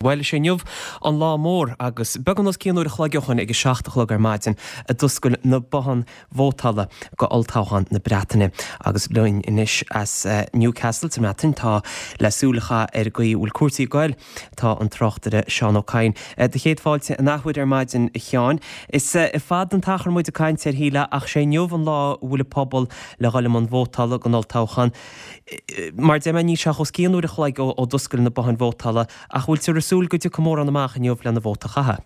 Bhuel, is é inniu an lá mór agus beagán os cionn uair a chloig ó shoin ag a 7 a chlog ar maidin a d'oscail na botháin vótála go olltoghchán na Breataine. Agus linn anois as Newcastle sa mBreatain tá le súil a chaitheamh ar an gcaoi a bhfuil cúrsaí ag goil tá an tráchtaire Seán Ó Cadhain. Do chéad fáilte an athuair ar maidin a Sheáin. Is fada an t-achar muid ag caint air shílfeá ach sé inniu an lá a bhfuil an pobal le dhul i mbun vótála don olltoghchán. Mar a deir mé, níl sé ach os cionn uair a chloig ó d'oscail na botháin vótála, ach bhfuiltear ag súil go dtiocfaidh mórán amach inniu lena vóta a chaitheamh?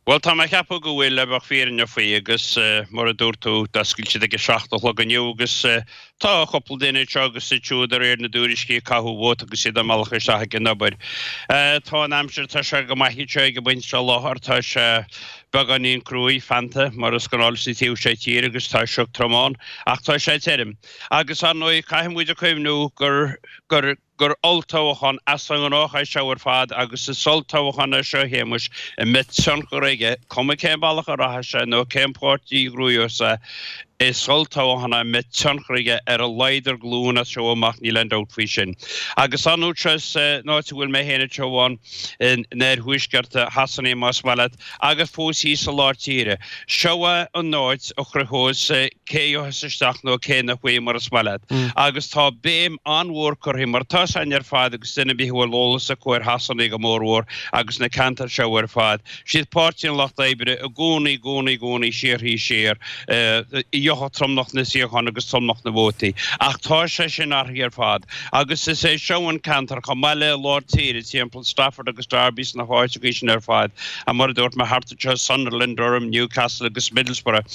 Bhuel, tá mé ag ceapadh go bhfuil, le bheadh fírinneach faoi, agus mar a dúirt tú, d'oscail siad ag a 7 a chlog inniu agus tá cúpla duine anseo agus ansiúd de réir na dtuairiscí ag caitheamh vóta agus iad á mbealach isteach ag an obair. Tá an aimsir, tá sé go maith anseo ag an bpointe seo láthair, tá sé beagáinín cruaidh, feannta, mar is gnáth sa taobh seo tíre agus tá sioc trom ann, ach tá sé tirim. Agus ar ndóigh, caithfidh muid a chuimhniú gur, gur, gur olltoghchán as an ngnách é seo ar fad agus is olltoghchán é seo, a Shéamais, a mbeidh tionchar aige, cuma cén bealach a rachaidh sé nó cén páirtí a ghnóthós é, is olltoghchán é a mbeidh tionchar aige ar a laghad ar ghlúin as seo amach, níl aon dabht faoi sin. Agus ar ndóigh seo san áit a bhfuil mé féin anseo amháin, in oirthuaisceart Shasana más maith leat, agus fós thíos i lár tíre. Seo é an áit a chruthós cé a gheobhas isteach nó cé nach bhfaighidh mar is maith leat. Agus tá béim an-mhór curtha, mar tá 's againn ar fad agus duine ar bith a bhfuil eolas acu ar Shasana go mórmhór agus na ceantair seo ar fad, siad Páirtí an Lucht Oibre i gcónaí, gcónaí, gcónaí siar thíos siar, a gheobhadh tromlach na suíochán agus tromlach na vótaí. Ach tá sé sin athraithe ar fad. Agus is é seo an ceantar, chomh maith le lár tíre, timpeall Stafford agus Derby sna háiteachaí sin ar fad, and mar a dúirt mé thart anseo, Sunderland, Durham, Newcastle agus Middlesbrough.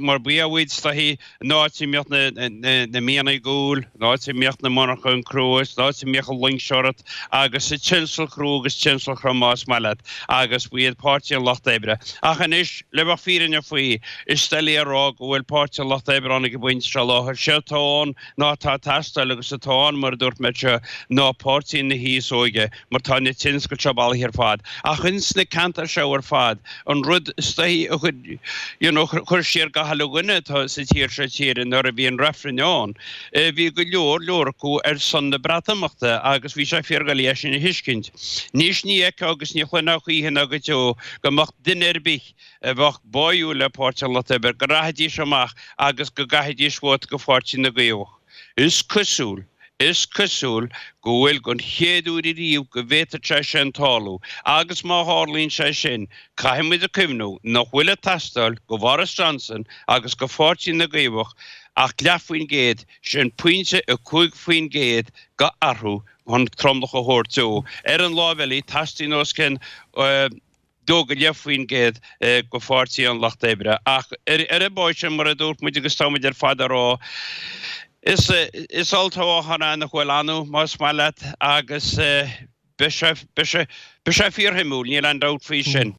Mar ba iad is dóichí an áit a mbíodh na mianaigh guail, an áit a mbíodh na monarchana cruas, an áit a mbíodh an loingseoireacht agus an tionscal crua agus tionscal trom más maith leat, agus ba iad Páirtí an Lucht Oibre. Ach anois, le bheadh fírinneach faoi, is doiligh a rá go bhfuil Páirtí an Lucht Oibre ann ag an bpointe seo láthair. Séard atá ann ná atá ag teastáil agus atá ann, mar a dúirt mé anseo, ná Páirtí na haos óige, mar tá na tionscail seo bailithe ar fad. Ach ins na ceantair seo ar fad, an rud is dóichí a chuir, you know, chuir siar gach uile dhuine atá sa tír seo tíre nuair a bhí an reifreann ann, bhí go leor leor acu ar son na Breatimeachta agus bhí sé fíordhoiligh é sin a thuiscint. Anois ní fheicfeá agus ní chluinfeá choíche ná go deo go mbeadh duine ar bith a bheadh báúil le Páirtí an Lucht Oibre, go rachaidís amach agus go gcaithfidís vóta go Pháirtí na gCaomhach. Is cosúil, is cosúil go bhfuil don chéad uair ariamh go bhféadfadh sé sin tarlú agus má tharlaíonn sé sin, caithfidh muid a cuimhniú nach bhfuil ag teastáil go Bhoris Johnson agus go Pháirtí na gCaomhach ach leath faoin gcéad, sin pointe 5% go athrú chun tromlach a thabhairt dó. Ar an láimh eile, teastaíonn os cionn 2.5% go Pháirtí an Lucht Oibre. Ach ar an bpóit sin, mar a dúirt muid agus tá muid ar fad á rá, is is olltoghchán é nach bhfuil annamh, más maith leat, agus beidh sé, beidh sé, beidh sé fíorshuimiúil, níl aon dabht faoi sin.